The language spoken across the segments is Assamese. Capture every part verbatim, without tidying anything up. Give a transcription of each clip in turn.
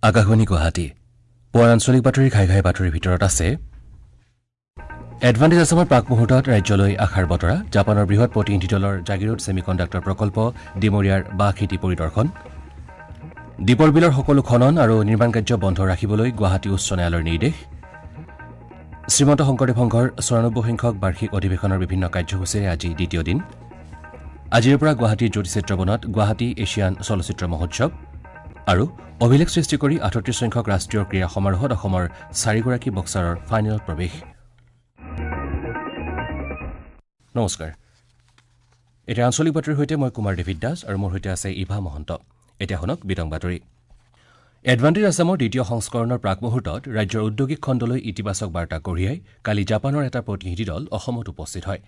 আকাশবাণী গুৱাহাটী পুৱাৰ আঞ্চলিক বাতৰি ঘাই ঘাই বাতৰিৰ ভিতৰত আছে এডভান্টেজ আছামৰ প্ৰাক মুহূৰ্তত ৰাজ্যলৈ আশাৰ বতৰা জাপানৰ বৃহৎ প্ৰতিনিধি দলৰ জাগিৰোড ছেমিকণ্ডাক্টৰ প্ৰকল্প ডিমৰীয়াৰ বাঁহ খেতি পৰিদৰ্শন দীপৰ বিলৰ সকলো খনন আৰু নিৰ্মাণ কাৰ্য বন্ধ ৰাখিবলৈ গুৱাহাটী উচ্চ ন্যায়ালয়ৰ নিৰ্দেশ শ্ৰীমন্ত শংকৰদেৱ সংঘৰ চৌৰানব্বৈ সংখ্যক বাৰ্ষিক অধিৱেশনৰ বিভিন্ন কাৰ্যসূচীৰে আজি দ্বিতীয় দিন আজিৰ পৰা গুৱাহাটীৰ জ্যোতি চিত্ৰবনত গুৱাহাটী এছিয়ান চলচ্চিত্ৰ মহোৎসৱ আৰু অভিলেখ সৃষ্টি কৰি আঠত্ৰিশ সংখ্যক ৰাষ্ট্ৰীয় ক্ৰীড়া সমাৰোহত অসমৰ চাৰিগৰাকী বক্সাৰৰ ফাইনেলত প্ৰৱেশ নমস্কাৰ এতিয়া আঞ্চলিক বাতৰিৰ সৈতে মই কুমাৰ ডেভিড দাস আৰু মোৰ সৈতে আছে ইভা মহন্ত এতিয়া শুনক বিতং বাতৰি এডভান্টেজ আছামৰ দ্বিতীয় সংস্কৰণৰ প্ৰাক মুহূৰ্তত ৰাজ্যৰ ঔদ্যোগিক খণ্ডলৈ ইতিবাচক বাৰ্তা কঢ়িয়াই কালি জাপানৰ এটা প্ৰতিনিধি দল অসমত উপস্থিত হয়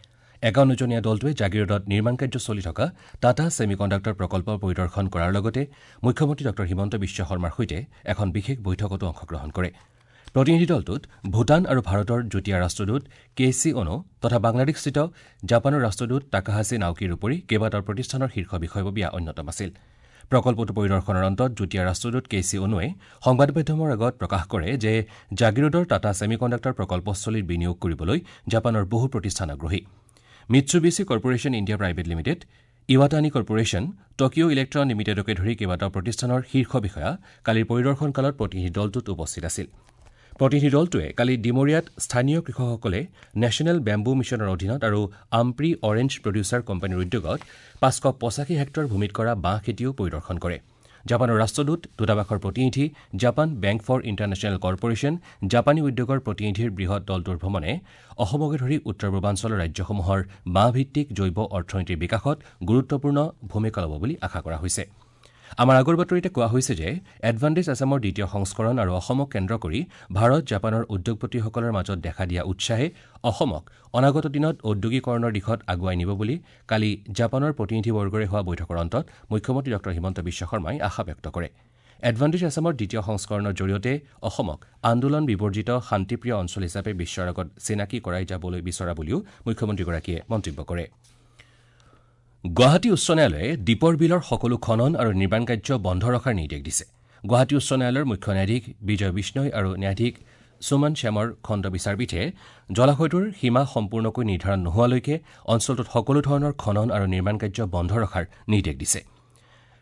একাৱন্নজনীয়া দলটোৱে জাগিৰোডত নিৰ্মাণ কাৰ্য চলি থকা টাটা ছেমিকণ্ডাক্টৰ প্ৰকল্প পৰিদৰ্শন কৰাৰ লগতে মুখ্যমন্ত্ৰী ডঃ হিমন্ত বিশ্ব শৰ্মাৰ সৈতে এখন বিশেষ বৈঠকতো অংশগ্ৰহণ কৰে প্ৰতিনিধি দলটোত ভূটান আৰু ভাৰতৰ যুটীয়া ৰাষ্ট্ৰদূত কে চি অনো তথা বাংলাদেশস্থিত জাপানৰ ৰাষ্ট্ৰদূত তাকাহাচি নাওকিৰ উপৰি কেইবাটাও প্ৰতিষ্ঠানৰ শীৰ্ষ বিষয়ববীয়া অন্যতম আছিল প্ৰকল্পটো পৰিদৰ্শনৰ অন্তত যুটীয়া ৰাষ্ট্ৰদূত কে চি অনোৱে সংবাদ মাধ্যমৰ আগত প্ৰকাশ কৰে যে জাগিৰোডৰ টাটা ছেমিকণ্ডাক্টৰ প্ৰকল্পস্থলীত বিনিয়োগ কৰিবলৈ জাপানৰ বহু প্ৰতিষ্ঠান আগ্ৰহী Mitsubishi corporation India private limited Iwatani corporation Tokyo electron লিমিটেডকে ধৰি কেইবাটাও প্ৰতিষ্ঠানৰ শীৰ্ষ বিষয়া কালিৰ পৰিদৰ্শনকালত প্ৰতিনিধি দলটোত উপস্থিত আছিল প্ৰতিনিধি দলটোৱে কালি ডিমৰীয়াত স্থানীয় কৃষকসকলে নেশ্যনেল বেম্বু মিছনৰ অধীনত আৰু আম্প্ৰি অৰেঞ্জ প্ৰডিউচাৰ কোম্পানীৰ উদ্যোগত পাঁচশ পঁচাশী হেক্টৰ ভূমিত কৰা বাঁহ খেতিও পৰিদৰ্শন কৰে জাপানৰ ৰাষ্ট্ৰদূত দূতাবাসৰ প্ৰতিনিধি Japan bank for international corporation জাপানী উদ্যোগৰ প্ৰতিনিধিৰ বৃহৎ দলটোৰ ভ্ৰমণে অসমকে ধৰি উত্তৰ পূৰ্বাঞ্চলৰ ৰাজ্যসমূহৰ বাঁহভিত্তিক জৈৱ অৰ্থনীতিৰ বিকাশত গুৰুত্বপূৰ্ণ ভূমিকা ল'ব বুলি আশা কৰা হৈছে আমাৰ আগৰ বাতৰিতে কোৱা হৈছে যে এডভান্টেজ আছামৰ দ্বিতীয় সংস্কৰণ আৰু অসমক কেন্দ্ৰ কৰি ভাৰত জাপানৰ উদ্যোগপতিসকলৰ মাজত দেখা দিয়া উৎসাহে অসমক অনাগত দিনত ঔদ্যোগিকৰণৰ দিশত আগুৱাই নিব বুলি কালি জাপানৰ প্ৰতিনিধিবৰ্গৰে হোৱা বৈঠকৰ অন্তত মুখ্যমন্ত্ৰী ডঃ হিমন্ত বিশ্ব শৰ্মাই আশা ব্যক্ত কৰে এডভান্টেজ আছামৰ দ্বিতীয় সংস্কৰণৰ জৰিয়তে অসমক আন্দোলন বিবৰ্জিত শান্তিপ্ৰিয় অঞ্চল হিচাপে বিশ্বৰ আগত চিনাকি কৰাই যাবলৈ বিচৰা বুলিও মুখ্যমন্ত্ৰীগৰাকীয়ে মন্তব্য কৰে গুৱাহাটী উচ্চ ন্যায়ালয়ে দীপৰ বিলৰ সকলো খনন আৰু নিৰ্মাণ কাৰ্য বন্ধ ৰখাৰ নিৰ্দেশ দিছে গুৱাহাটী উচ্চ ন্যায়ালয়ৰ মুখ্য ন্যায়াধীশ বিজয় বিষ্ণৈ আৰু ন্যায়াধীশ সুমন শ্যামৰ খণ্ড বিচাৰপীঠে জলাশয়টোৰ সীমা সম্পূৰ্ণকৈ নিৰ্ধাৰণ নোহোৱালৈকে অঞ্চলটোত সকলো ধৰণৰ খনন আৰু নিৰ্মাণ কাৰ্য বন্ধ ৰখাৰ নিৰ্দেশ দিছে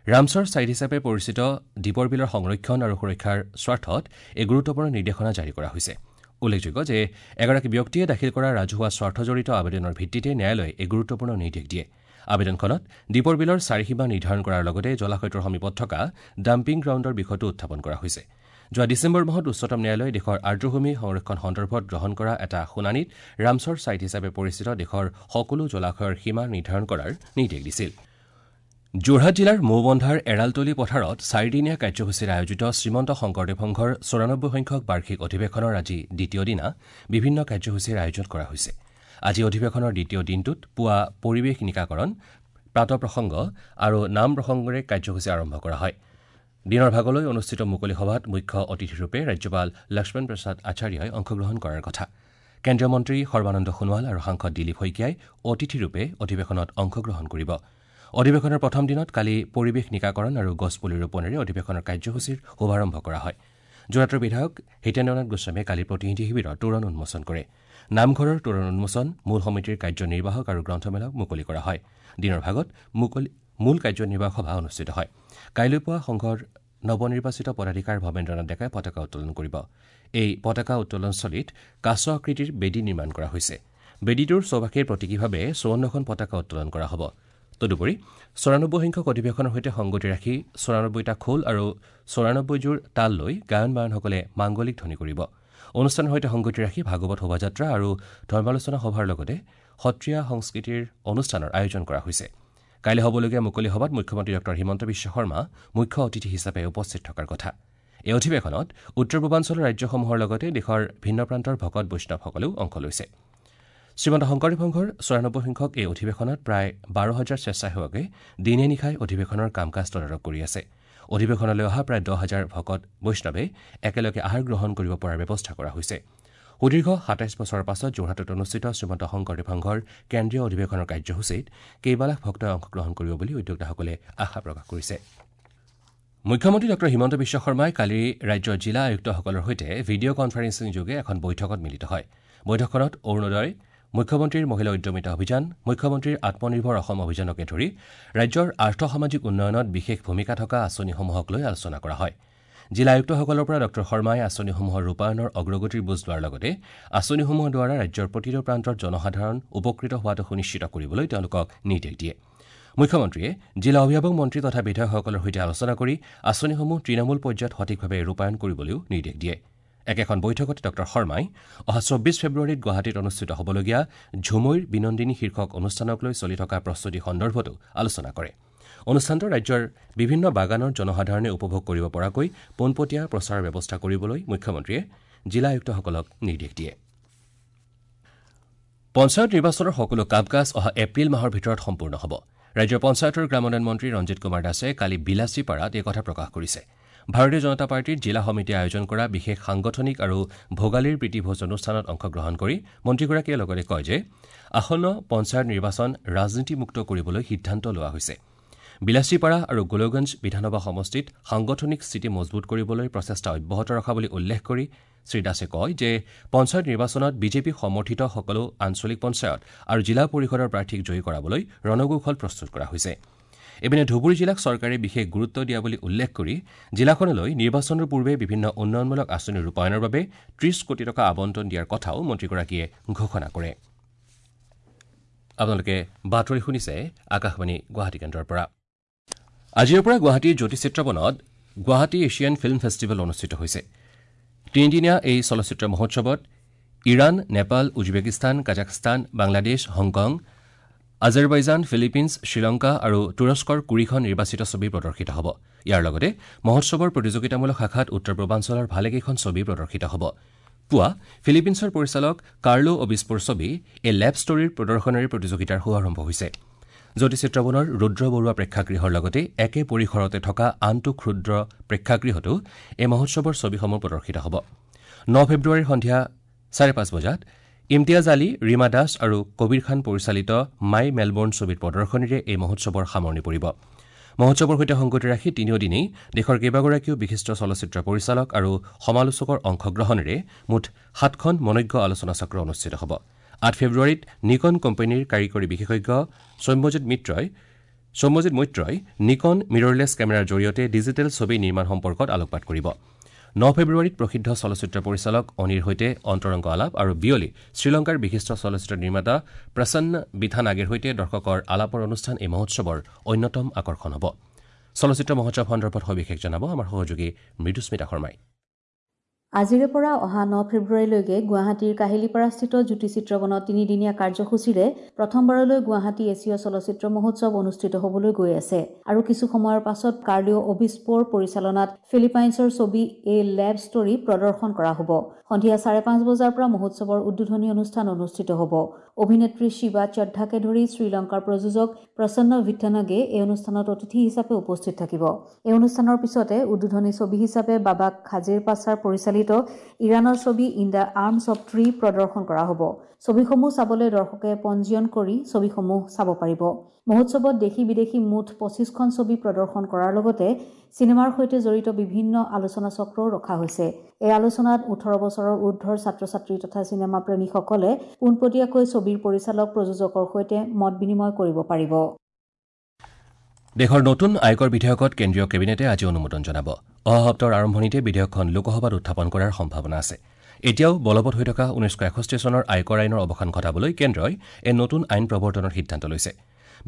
ৰামছৰ ছাইট হিচাপে পৰিচিত দীপৰ বিলৰ সংৰক্ষণ আৰু সুৰক্ষাৰ স্বাৰ্থত এই গুৰুত্বপূৰ্ণ নিৰ্দেশনা জাৰি কৰা হৈছে উল্লেখযোগ্য যে এগৰাকী ব্যক্তিয়ে দাখিল কৰা ৰাজহুৱা স্বাৰ্থজড়িত আবেদনৰ ভিত্তিতে ন্যায়ালয়ে এই গুৰুত্বপূৰ্ণ নিৰ্দেশ দিয়ে আবেদনখনত দীপৰ বিলৰ চাৰিসীমা নিৰ্ধাৰণ কৰাৰ লগতে জলাশয়টোৰ সমীপত থকা ডাম্পিং গ্ৰাউণ্ডৰ বিষয়টো উত্থাপন কৰা হৈছে যোৱা ডিচেম্বৰ মাহত উচ্চতম ন্যায়ালয়ে দেশৰ আৰ্দ্ৰভূমি সংৰক্ষণ সন্দৰ্ভত গ্ৰহণ কৰা এটা শুনানিত ৰামছৰ ছাইট হিচাপে পৰিচিত দেশৰ সকলো জলাশয়ৰ সীমা নিৰ্ধাৰণ কৰাৰ নিৰ্দেশ দিছিল যোৰহাট জিলাৰ মৌবন্ধাৰ এৰালতলী পথাৰত চাৰিদিনীয়া কাৰ্যসূচীৰে আয়োজিত শ্ৰীমন্ত শংকৰদেৱ সংঘৰ চৌৰানব্বৈ সংখ্যক বাৰ্ষিক অধিৱেশনৰ আজি দ্বিতীয় দিনা বিভিন্ন কাৰ্যসূচীৰ আয়োজন কৰা হৈছে আজি অধিৱেশনৰ দ্বিতীয় দিনটোত পুৱা পৰিৱেশ নিকাকৰণ প্ৰাতঃপ্ৰসংগ আৰু নাম প্ৰসংগৰে কাৰ্যসূচী আৰম্ভ কৰা হয় দিনৰ ভাগলৈ অনুষ্ঠিত মুকলি সভাত মুখ্য অতিথিৰূপে ৰাজ্যপাল লক্ষ্মণ প্ৰসাদ আচাৰ্যই অংশগ্ৰহণ কৰাৰ কথা কেন্দ্ৰীয় মন্ত্ৰী সৰ্বানন্দ সোণোৱাল আৰু সাংসদ দিলীপ শইকীয়াই অতিথিৰূপে অধিৱেশনত অংশগ্ৰহণ কৰিব অধিৱেশনৰ প্ৰথম দিনত কালি পৰিৱেশ নিকাকৰণ আৰু গছপুলি ৰোপণেৰে অধিৱেশনৰ কাৰ্যসূচীৰ শুভাৰম্ভ কৰা হয় যোৰহাটৰ বিধায়ক হিতেন্দ্ৰনাথ গোস্বামীয়ে কালি প্ৰতিনিধি শিবিৰৰ তোৰণ উন্মোচন কৰে নামঘৰৰ তোৰণ উন্মোচন মূল সমিতিৰ কাৰ্যনিৰ্বাহক আৰু গ্ৰন্থমেলা মুকলি কৰা হয় দিনৰ ভাগত মুকলি মূল কাৰ্যনিৰ্বাহক সভা অনুষ্ঠিত হয় কাইলৈ পুৱা সংঘৰ নৱনিৰ্বাচিত পদাধিকাৰ ভৱেন্দ্ৰনাথ ডেকাই পতাকা উত্তোলন কৰিব এই পতাকা উত্তোলনস্থলীত কাছ আকৃতিৰ বেদী নিৰ্মাণ কৰা হৈছে বেদীটোৰ চৌপাশে প্ৰতীকীভাৱে চৌৱন্নখন পতাকা উত্তোলন কৰা হ'ব তদুপৰি চৌৰানব্বৈ সংখ্যক অধিৱেশনৰ সৈতে সংগতি ৰাখি চৌৰানব্বৈটা খোল আৰু চৌৰানব্বৈযোৰ তাল লৈ গায়ন বায়নসকলে মাংগলিক ধ্বনি কৰিব অনুষ্ঠানৰ সৈতে সংগতি ৰাখি ভাগৱত শোভাযাত্ৰা আৰু ধৰ্মালোচনা সভাৰ লগতে সত্ৰীয়া সংস্কৃতিৰ অনুষ্ঠানৰ আয়োজন কৰা হৈছে কাইলৈ হ'বলগীয়া মুকলি সভাত মুখ্যমন্ত্ৰী ডঃ হিমন্ত বিশ্ব শৰ্মা মুখ্য অতিথি হিচাপে উপস্থিত থকাৰ কথা এই অধিৱেশনত উত্তৰ পূৰ্বাঞ্চলৰ ৰাজ্যসমূহৰ লগতে দেশৰ ভিন্ন প্ৰান্তৰ ভকত বৈষ্ণৱসকলেও অংশ লৈছে শ্ৰীমন্ত শংকৰদেৱ সংঘৰ চৌৰানব্বৈ সংখ্যক এই অধিৱেশনত প্ৰায় বাৰ হাজাৰ স্বেচ্ছাসেৱকে দিনে নিশাই অধিৱেশনৰ কাম কাজ তদাৰক কৰি আছে অধিৱেশনলৈ অহা প্ৰায় দহ হাজাৰ ভকত বৈষ্ণৱে একেলগে আহাৰ গ্ৰহণ কৰিব পৰাৰ ব্যৱস্থা কৰা হৈছে সুদীৰ্ঘ সাতাইছ বছৰৰ পাছত যোৰহাটত অনুষ্ঠিত শ্ৰীমন্ত শংকৰদেৱ সংঘৰ কেন্দ্ৰীয় অধিৱেশনৰ কাৰ্যসূচীত কেইবালাখ ভক্তই অংশগ্ৰহণ কৰিব বুলি উদ্যোক্তাসকলে আশা প্ৰকাশ কৰিছে মুখ্যমন্ত্ৰী ডঃ হিমন্ত বিশ্ব শৰ্মাই কালি ৰাজ্যৰ জিলা আয়ুক্তসকলৰ সৈতে ভিডিঅ' কনফাৰেন্সিং যোগে এখন বৈঠকত মিলিত হয়। বৈঠকখনত অৰুণোদয়, মুখ্যমন্ত্ৰীৰ মহিলা উদ্যমিতা অভিযান, মুখ্যমন্ত্ৰীৰ আত্মনিৰ্ভৰ অসম অভিযানকে ধৰি ৰাজ্যৰ আৰ্থ-সামাজিক উন্নয়নত বিশেষ ভূমিকা থকা আঁচনিসমূহক লৈ আলোচনা কৰা হয়। জিলা আয়ুক্তসকলৰ পৰা ডঃ শৰ্মাই আঁচনিসমূহৰ ৰূপায়ণৰ অগ্ৰগতিৰ বুজ লোৱাৰ লগতে আঁচনিসমূহৰ দ্বাৰা ৰাজ্যৰ প্ৰতিটো প্ৰান্তৰ জনসাধাৰণ উপকৃত হোৱাটো সুনিশ্চিত কৰিবলৈ তেওঁলোকক নিৰ্দেশ দিয়ে। মুখ্যমন্ত্ৰীয়ে জিলা অভিভাৱক মন্ত্ৰী তথা বিধায়কসকলৰ সৈতে আলোচনা কৰি আঁচনিসমূহ তৃণমূল পৰ্যায়ত সঠিকভাৱে ৰূপায়ণ কৰিবলৈও নিৰ্দেশ দিয়ে। একেখন বৈঠকতে ডঃ শৰ্মাই অহা চৌব্বিছ ফেব্ৰুৱাৰীত গুৱাহাটীত অনুষ্ঠিত হ'বলগীয়া ঝুমইৰ বিনন্দিনী শীৰ্ষক অনুষ্ঠানক লৈ চলি থকা প্ৰস্তুতি সন্দৰ্ভতো আলোচনা কৰে। অনুষ্ঠানটো ৰাজ্যৰ বিভিন্ন বাগানৰ জনসাধাৰণে উপভোগ কৰিব পৰাকৈ পোনপটীয়া প্ৰচাৰৰ ব্যৱস্থা কৰিবলৈ মুখ্যমন্ত্ৰীয়ে জিলা আয়ুক্তসকলক নিৰ্দেশ দিয়ে। পঞ্চায়ত নিৰ্বাচনৰ সকলো কাম কাজ অহা এপ্ৰিল মাহৰ ভিতৰত সম্পূৰ্ণ হ'ব। ৰাজ্যৰ পঞ্চায়ত আৰু গ্ৰামোন্নয়ন মন্ত্ৰী ৰঞ্জিত কুমাৰ দাসে কালি বিলাচীপাৰাত এই কথা প্ৰকাশ কৰিছে। ভাৰতীয় জনতা পাৰ্টীৰ জিলা সমিতিয়ে আয়োজন কৰা বিশেষ সাংগঠনিক আৰু ভোগালীৰ প্ৰীতিভোজ অনুষ্ঠানত অংশগ্ৰহণ কৰি মন্ত্ৰীগৰাকীয়ে লগতে কয় যে আসন্ন পঞ্চায়ত নিৰ্বাচন ৰাজনীতিমুক্ত কৰিবলৈ সিদ্ধান্ত লোৱা হৈছে। বিলাচীপাৰা আৰু গোলগঞ্জ বিধানসভা সমষ্টিত সাংগঠনিক স্থিতি মজবুত কৰিবলৈ প্ৰচেষ্টা অব্যাহত ৰখা বুলি উল্লেখ কৰি শ্ৰীদাসে কয় যে পঞ্চায়ত নিৰ্বাচনত বিজেপি সমৰ্থিত সকলো আঞ্চলিক পঞ্চায়ত আৰু জিলা পৰিষদৰ প্ৰাৰ্থীক জয়ী কৰাবলৈ ৰণকৌশল প্ৰস্তুত কৰা হৈছে। ইপিনে ধুবুৰী জিলাক চৰকাৰে বিশেষ গুৰুত্ব দিয়া বুলি উল্লেখ কৰি জিলাখনলৈ নিৰ্বাচনৰ পূৰ্বে বিভিন্ন উন্নয়নমূলক আঁচনি ৰূপায়ণৰ বাবে ত্ৰিশ কোটি টকা আবণ্টন দিয়াৰ কথাও মন্ত্ৰীগৰাকীয়ে ঘোষণা কৰে। আপোনালোকে বাতৰি শুনিছে আকাশবাণী গুৱাহাটী কেন্দ্ৰৰ পৰা। আজিৰ পৰা গুৱাহাটীৰ জ্যোতি চিত্ৰবনত গুৱাহাটী এছিয়ান ফিল্ম ফেষ্টিভেল অনুষ্ঠিত হৈছে। তিনিদিনীয়া এই চলচ্চিত্ৰ মহোৎসৱত Iran, Nepal, Uzbekistan, Kazakhstan, Bangladesh, Hong Kong, Azerbaijan, Philippines, Sri Lanka আৰু তুৰস্কৰ কুৰিখন নিৰ্বাচিত ছবি প্ৰদৰ্শিত হ'ব। ইয়াৰ লগতে মহোৎসৱৰ প্ৰতিযোগিতামূলক শাখাত উত্তৰ পূৰ্বাঞ্চলৰ ভালেকেইখন ছবি প্ৰদৰ্শিত হ'ব। পুৱা ফিলিপিনছৰ পৰিচালক কাৰ্লো অবিস্পোৰ ছবি এ লেব ষ্টৰীৰ প্ৰদৰ্শনেৰে প্ৰতিযোগিতাৰ শুভাৰম্ভ হৈছে। জ্যোতি চিত্ৰবনৰ ৰুদ্ৰ বৰুৱা প্ৰেক্ষাগৃহৰ লগতে একে পৰিসৰতে থকা আনটো ক্ষুদ্ৰ প্ৰেক্ষাগৃহতো এই মহোৎসৱৰ ছবিসমূহ প্ৰদৰ্শিত হ'ব। ন ফেব্ৰুৱাৰীৰ সন্ধিয়া চাৰে পাঁচ বজাত ইমতিয়াজ আলী, ৰীমা দাস আৰু কবিৰ খান পৰিচালিত মাই মেলবৰ্ণ ছবিৰ প্ৰদৰ্শনীৰে এই মহোৎসৱৰ সামৰণি পৰিব। মহোৎসৱৰ সৈতে সংগতি ৰাখি তিনিওদিনেই দেশৰ কেইবাগৰাকীও বিশিষ্ট চলচ্চিত্ৰ পৰিচালক আৰু সমালোচকৰ অংশগ্ৰহণেৰে মুঠ সাতখন মনোজ্ঞ আলোচনাচক্ৰ অনুষ্ঠিত হ'ব। আঠ ফেব্ৰুৱাৰীত নিকন কোম্পানীৰ কাৰিকৰী বিশেষজ্ঞ সৌম্যজিৎ মিত্ৰই সৌম্যজিৎ মৈত্ৰই নিকন মিৰৰলেছ কেমেৰাৰ জৰিয়তে ডিজিটেল ছবি নিৰ্মাণ সম্পৰ্কত আলোকপাত কৰিব। ন ফেব্ৰুৱাৰীত প্ৰসিদ্ধ চলচ্চিত্ৰ পৰিচালক অনিৰ সৈতে অন্তৰংগ আলাপ আৰু বিয়লি শ্ৰীলংকাৰ বিশিষ্ট চলচ্চিত্ৰ নিৰ্মাতা প্ৰসন্ন বিথানাগেৰ সৈতে দৰ্শকৰ আলাপৰ অনুষ্ঠান এই মহোৎসৱৰ অন্যতম আকৰ্ষণ হ'ব। চলচ্চিত্ৰ মহোৎসৱ সন্দৰ্ভত সবিশেষ জনাব আমাৰ সহযোগী মৃদুস্মিতা শৰ্মাই। আজিৰে পৰা অহা ন ফেব্ৰুৱাৰীলৈকে গুৱাহাটীৰ কাহিলীপাৰাস্থিত জ্যোতি চিত্ৰবনত তিনিদিনীয়া কাৰ্যসূচীৰে প্ৰথমবাৰলৈ গুৱাহাটী এছীয় চলচ্চিত্ৰ মহোৎসৱ অনুষ্ঠিত হ'বলৈ গৈ আছে। আৰু কিছু সময়ৰ পাছত কাৰ্লিঅ' অবিস্পোৰ পৰিচালনাত ফিলিপাইনছৰ ছবি এ লেব ষ্টৰী প্ৰদৰ্শন কৰা হ'ব। সন্ধিয়া চাৰে পাঁচ বজাৰ পৰা মহোৎসৱৰ উদ্বোধনী অনুষ্ঠান অনুষ্ঠিত হ'ব। অভিনেত্ৰী শিৱা চড্ডাকে ধৰি শ্ৰীলংকাৰ প্ৰযোজক প্ৰসন্ন ভিথানাগে এই অনুষ্ঠানত অতিথি হিচাপে উপস্থিত থাকিব। এই অনুষ্ঠানৰ পিছতে উদ্বোধনী ছবি হিচাপে বাবাক খাজিৰ পাছাৰ পৰিচালিত ইৰাণৰ ছবি in the arms of tree প্ৰদৰ্শন কৰা হ'ব। ছবিসমূহ চাবলৈ দৰ্শকে পঞ্জীয়ন কৰি ছবিসমূহ চাব পাৰিব। মহোৎসৱত দেশী বিদেশী মুঠ পঁচিছখন ছবি প্ৰদৰ্শন কৰাৰ লগতে চিনেমাৰ সৈতে জড়িত বিভিন্ন আলোচনা চক্ৰও ৰখা হৈছে। এই আলোচনাত ওঠৰ বছৰৰ ঊৰ্ধৰ ছাত্ৰ ছাত্ৰী তথা চিনেমা প্ৰেমীসকলে পোনপটীয়াকৈ ছবিৰ পৰিচালক প্ৰযোজকৰ সৈতে মত বিনিময় কৰিব পাৰিব। দেশৰ নতুন আয়কৰ বিধেয়কত কেন্দ্ৰীয় কেবিনেটে আজি অনুমোদন জনাব। অহা সপ্তাহৰ আৰম্ভণিতে বিধেয়কখন লোকসভাত উত্থাপন কৰাৰ সম্ভাৱনা আছে। এতিয়াও বলবৎ হৈ থকা ঊনৈছশ এষষ্ঠি চনৰ আয়কৰ আইনৰ অৱসান ঘটাবলৈ কেন্দ্ৰই এই নতুন আইন প্ৰৱৰ্তনৰ সিদ্ধান্ত লৈছে।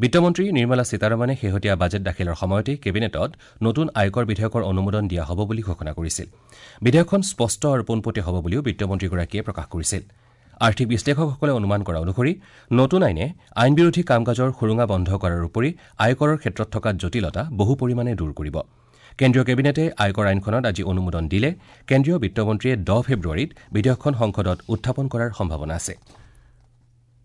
বিত্তমন্ত্ৰী নিৰ্মলা সীতাৰমণে শেহতীয়া বাজেট দাখিলৰ সময়তে কেবিনেটত নতুন আয়কৰ বিধেয়কৰ অনুমোদন দিয়া হ'ব বুলি ঘোষণা কৰিছিল। বিধেয়কখন স্পষ্ট আৰু পোনপটীয়া হ'ব বুলিও বিত্তমন্ত্ৰীগৰাকীয়ে প্ৰকাশ কৰিছিল। আৰ্থিক বিশ্লেষকসকলে অনুমান কৰা অনুসৰি নতুন আইনে আইনবিৰোধী কাম-কাজৰ সুৰুঙা বন্ধ কৰাৰ উপৰি আয়কৰৰ ক্ষেত্ৰত থকা জটিলতা বহু পৰিমাণে দূৰ কৰিব। কেন্দ্ৰীয় কেবিনেটে আয়কৰ আইনখনত আজি অনুমোদন দিলে কেন্দ্ৰীয় বিত্তমন্ত্ৰীয়ে দহ ফেব্ৰুৱাৰীত বিধেয়কখন সংসদত উত্থাপন কৰাৰ সম্ভাৱনা আছে।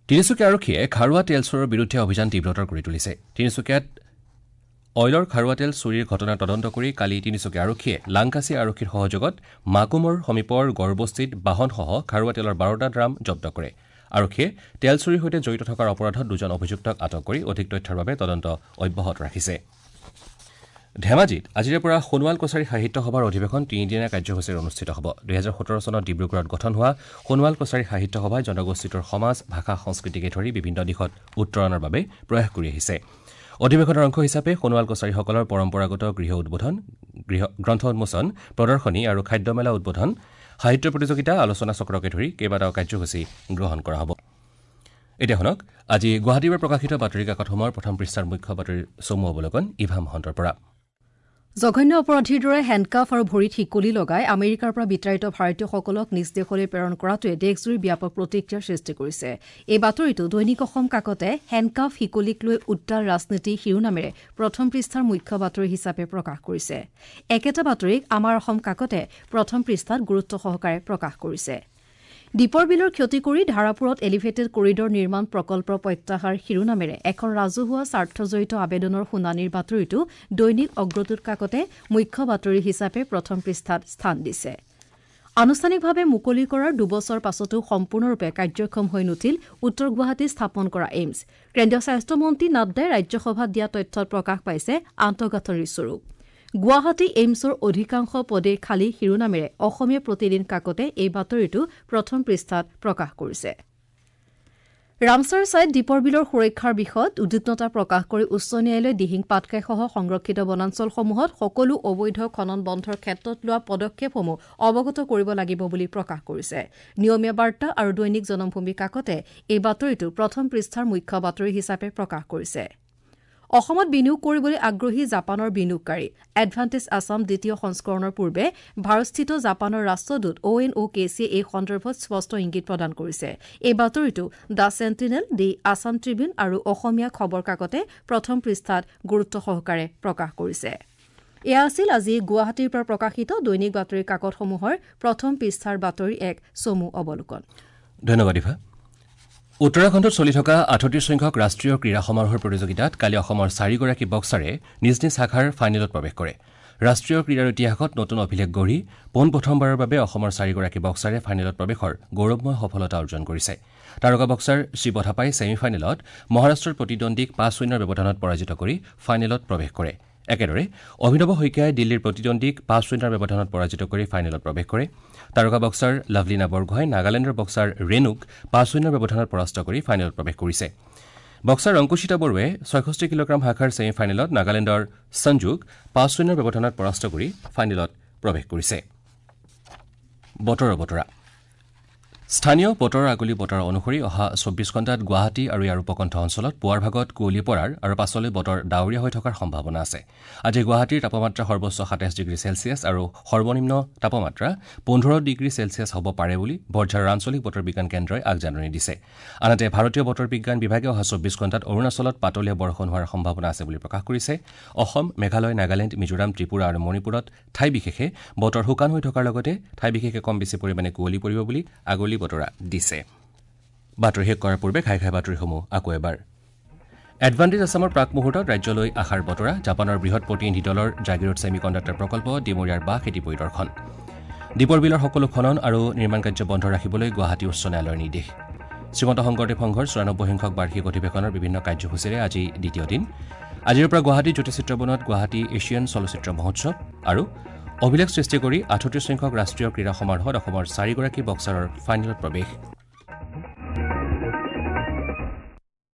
তিনিচুকীয়া আৰক্ষীয়ে খাৰুৱা তেল চোৰৰ বিৰুদ্ধে অভিযান তীব্ৰতৰ কৰি তুলিছে। তিনিচুকীয়াত অইলৰ খাৰুৱা তেল চুৰিৰ ঘটনাৰ তদন্ত কৰি কালি তিনিচুকীয়া আৰক্ষীয়ে লাংকাচি আৰক্ষীৰ সহযোগত মাকুমৰ সমীপৰ গড়বস্তিত বাহনসহ খাৰুৱা তেলৰ বাৰটা ড্ৰাম জব্দ কৰে। আৰক্ষীয়ে তেল চুৰিৰ সৈতে জড়িত থকাৰ অপৰাধত দুজন অভিযুক্তক আটক কৰি অধিক তথ্যৰ বাবে তদন্ত অব্যাহত ৰাখিছে। ধেমাজিত আজিৰে পৰা সোণোৱাল কছাৰী সাহিত্য সভাৰ অধিৱেশন তিনিদিনীয়া কাৰ্যসূচীৰে অনুষ্ঠিত হ'ব। দুহেজাৰ সোতৰ চনত ডিব্ৰুগড়ত গঠন হোৱা সোণোৱাল কছাৰী সাহিত্য সভাই জনগোষ্ঠীটোৰ সমাজ, ভাষা, সংস্কৃতিকে ধৰি বিভিন্ন দিশত উত্তৰণৰ বাবে প্ৰয়াস কৰি আহিছে। অধিৱেশনৰ অংশ হিচাপে সোণোৱাল কছাৰীসকলৰ পৰম্পৰাগত গৃহ উদ্বোধন, গৃহ গ্ৰন্থ উন্মোচন, প্ৰদৰ্শনী আৰু খাদ্যমেলা উদ্বোধন, সাহিত্য প্ৰতিযোগিতা, আলোচনা চক্ৰকে ধৰি কেইবাটাও কাৰ্যসূচী গ্ৰহণ কৰা হ'ব। এতিয়া শুনক আজি গুৱাহাটীৰ পৰা প্ৰকাশিত বাতৰি কাকতসমূহৰ প্ৰথম পৃষ্ঠাৰ মুখ্য বাতৰিৰ চমু অৱলোকন ইভা মহন্তৰ পৰা। জঘন্য অপৰাধীৰ দৰে হেণ্ডকাফ আৰু ভৰিত শিকলি লগাই আমেৰিকাৰ পৰা বিতাড়িত ভাৰতীয়সকলক নিজ দেশলৈ প্ৰেৰণ কৰাটোৱে দেশজুৰি ব্যাপক প্ৰতিক্ৰিয়াৰ সৃষ্টি কৰিছে। এই বাতৰিটো দৈনিক অসম কাকতে হেণ্ডকাফ শিকলিক লৈ উত্তাল ৰাজনীতি শিৰোনামেৰে প্ৰথম পৃষ্ঠাৰ মুখ্য বাতৰি হিচাপে প্ৰকাশ কৰিছে। একেটা বাতৰিক আমাৰ অসম কাকতে প্ৰথম পৃষ্ঠাত গুৰুত্ব সহকাৰে প্ৰকাশ কৰিছে। দীপৰ বিলৰ ক্ষতি কৰি ধাৰাপুৰত এলিভেটেড কৰিডৰ নিৰ্মাণ প্ৰকল্প প্ৰত্যাহাৰ শিৰোনামেৰে এখন ৰাজহুৱা স্বাৰ্থজড়িত আবেদনৰ শুনানিৰ বাতৰিটো দৈনিক অগ্ৰদূত কাকতে মুখ্য বাতৰি হিচাপে প্ৰথম পৃষ্ঠাত স্থান দিছে। আনুষ্ঠানিকভাৱে মুকলি কৰাৰ দুবছৰ পাছতো সম্পূৰ্ণৰূপে কাৰ্যক্ষম হৈ নুঠিল উত্তৰ গুৱাহাটীত স্থাপন কৰা এইমছ। কেন্দ্ৰীয় স্বাস্থ্যমন্ত্ৰী নাড্ডাই ৰাজ্যসভাত দিয়া তথ্যত প্ৰকাশ পাইছে আন্তঃগাঁথনিৰ স্বৰূপ। গুৱাহাটী এইমছৰ অধিকাংশ পদে খালী শিৰোনামেৰে অসমীয়া প্ৰতিদিন কাকতে এই বাতৰিটো প্ৰথম পৃষ্ঠাত প্ৰকাশ কৰিছে। ৰামচাৰ ছাইট দীপৰ বিলৰ সুৰক্ষাৰ বিষয়ত উদ্বিগ্নতা প্ৰকাশ কৰি উচ্চ ন্যায়ালয়ে দিহিং পাটকাইসহ সংৰক্ষিত বনাঞ্চলসমূহত সকলো অবৈধ খনন বন্ধৰ ক্ষেত্ৰত লোৱা পদক্ষেপসমূহ অৱগত কৰিব লাগিব বুলি প্ৰকাশ কৰিছে। নিয়মীয়া বাৰ্তা আৰু দৈনিক জনমভূমি কাকতে এই বাতৰিটো প্ৰথম পৃষ্ঠাৰ মুখ্য বাতৰি হিচাপে প্ৰকাশ কৰিছে। অসমত বিনিয়োগ কৰিবলৈ আগ্ৰহী জাপানৰ বিনিয়োগকাৰী। এডভান্টেজ আছাম দ্বিতীয় সংস্কৰণৰ পূৰ্বে ভাৰতস্থিত জাপানৰ ৰাষ্ট্ৰদূত অ' এন অ' কে চিয়ে এই সন্দৰ্ভত স্পষ্ট ইংগিত প্ৰদান কৰিছে। এই বাতৰিটো the Sentinel, the Assam Tribune আৰু অসমীয়া খবৰ কাকতে প্ৰথম পৃষ্ঠাত গুৰুত্ব সহকাৰে প্ৰকাশ কৰিছে। এয়া আছিল আজি গুৱাহাটীৰ পৰা প্ৰকাশিত দৈনিক বাতৰি কাকতসমূহৰ প্ৰথম পৃষ্ঠাৰ বাতৰি এক চমু অৱলোকন। ধন্যবাদ ইভা। উত্তৰাখণ্ডত চলি থকা আঠত্ৰিশ সংখ্যক ৰাষ্ট্ৰীয় ক্ৰীড়া সমাৰোহৰ প্ৰতিযোগিতাত কালি অসমৰ চাৰিগৰাকী বক্সাৰে নিজ নিজ শাখাৰ ফাইনেলত প্ৰৱেশ কৰে। ৰাষ্ট্ৰীয় ক্ৰীড়াৰ ইতিহাসত নতুন অভিলেখ গঢ়ি পোনপ্ৰথমবাৰৰ বাবে অসমৰ চাৰিগৰাকী বক্সাৰে ফাইনেলত প্ৰৱেশৰ গৌৰৱময় সফলতা অৰ্জন কৰিছে। তাৰকা বক্সাৰ শিৱ থাপাই ছেমি ফাইনেলত মহাৰাষ্ট্ৰৰ প্ৰতিদ্বন্দ্বীক পাঁচ শূন্যৰ ব্যৱধানত পৰাজিত কৰি ফাইনেলত প্ৰৱেশ কৰে। একেদৰে অভিনৱ শইকীয়াই দিল্লীৰ প্ৰতিদ্বন্দ্বীক পাঁচ শূন্যৰ ব্যৱধানত পৰাজিত কৰি ফাইনেলত প্ৰৱেশ কৰে। তাৰকা বক্সাৰ লাভলীনা বৰগোহাঁই নাগালেণ্ডৰ বক্সাৰ ৰেণুক পাঁচ শূন্যৰ ব্যৱধানত পৰাস্ত কৰি ফাইনেলত প্ৰৱেশ কৰিছে। বক্সাৰ অংকুশিতা বড়োৱে ছয়ষষ্ঠি কিলোগ্ৰাম শাখাৰ ছেমি ফাইনেলত নাগালেণ্ডৰ সঞ্জুক পাঁচ শূন্যৰ ব্যৱধানত পৰাস্ত কৰি ফাইনেলত প্ৰৱেশ কৰিছে। বতৰৰ বতৰা। স্থানীয় বতৰৰ আগলি বতৰ অনুসৰি অহা চৌব্বিছ ঘণ্টাত গুৱাহাটী আৰু ইয়াৰ উপকণ্ঠ অঞ্চলত পুৱাৰ ভাগত কুঁৱলী পৰাৰ আৰু পাছলৈ বতৰ ডাৱৰীয়া হৈ থকাৰ সম্ভাৱনা আছে। আজি গুৱাহাটীৰ তাপমাত্ৰা সৰ্বোচ্চ সাতাইছ ডিগ্ৰী চেলছিয়াছ আৰু সৰ্বনিম্ন তাপমাত্ৰা পোন্ধৰ ডিগ্ৰী চেলছিয়াছ হ'ব পাৰে বুলি বৰঝাৰৰ আঞ্চলিক বতৰ বিজ্ঞান কেন্দ্ৰই আগজাননী দিছে। আনহাতে ভাৰতীয় বতৰ বিজ্ঞান বিভাগে অহা চৌব্বিছ ঘণ্টাত অৰুণাচলত পাতলীয়া বৰষুণ হোৱাৰ সম্ভাৱনা আছে বুলি প্ৰকাশ কৰিছে। অসম, মেঘালয়, নাগালেণ্ড, মিজোৰাম, ত্ৰিপুৰা আৰু মণিপুৰত ঠাই বিশেষে বতৰ শুকান হৈ থকাৰ লগতে ঠাই বিশেষে কম বেছি পৰিমাণে কুঁৱলী পৰিব বুলি আগলি বতৰা দিছে। বাতৰি শেষ কৰাৰ পূৰ্বে ঘাই ঘাই বাতৰিসমূহ আকৌ এবাৰ। এডভান্টেজ আছামৰ প্ৰাক মুহূৰ্তত ৰাজ্যলৈ আশাৰ বতৰা। জাপানৰ বৃহৎ প্ৰতিনিধি দলৰ জাগিৰোড ছেমি কণ্ডাক্টৰ প্ৰকল্প ডিমৰীয়াৰ বাঁহ খেতি পৰিদৰ্শন। দীপৰ বিলৰ সকলো খনন আৰু নিৰ্মাণ কাৰ্য বন্ধ ৰাখিবলৈ গুৱাহাটী উচ্চ ন্যায়ালয়ৰ নিৰ্দেশ। শ্ৰীমন্ত শংকৰদেৱ সংঘৰ চৌৰানব্বৈ সংখ্যক বাৰ্ষিক অধিৱেশনৰ বিভিন্ন কাৰ্যসূচীৰে আজি দ্বিতীয় দিন। আজিৰ পৰা গুৱাহাটী জ্যোতি চিত্ৰবনত গুৱাহাটী এছিয়ান চলচ্চিত্ৰ মহোৎসৱ আৰু অভিলেখ সৃষ্টি কৰি আঠত্ৰিশ সংখ্যক ৰাষ্ট্ৰীয় ক্ৰীড়া সমাৰোহত অসমৰ চাৰিগৰাকী বক্সাৰৰ ফাইনেলত প্ৰৱেশ।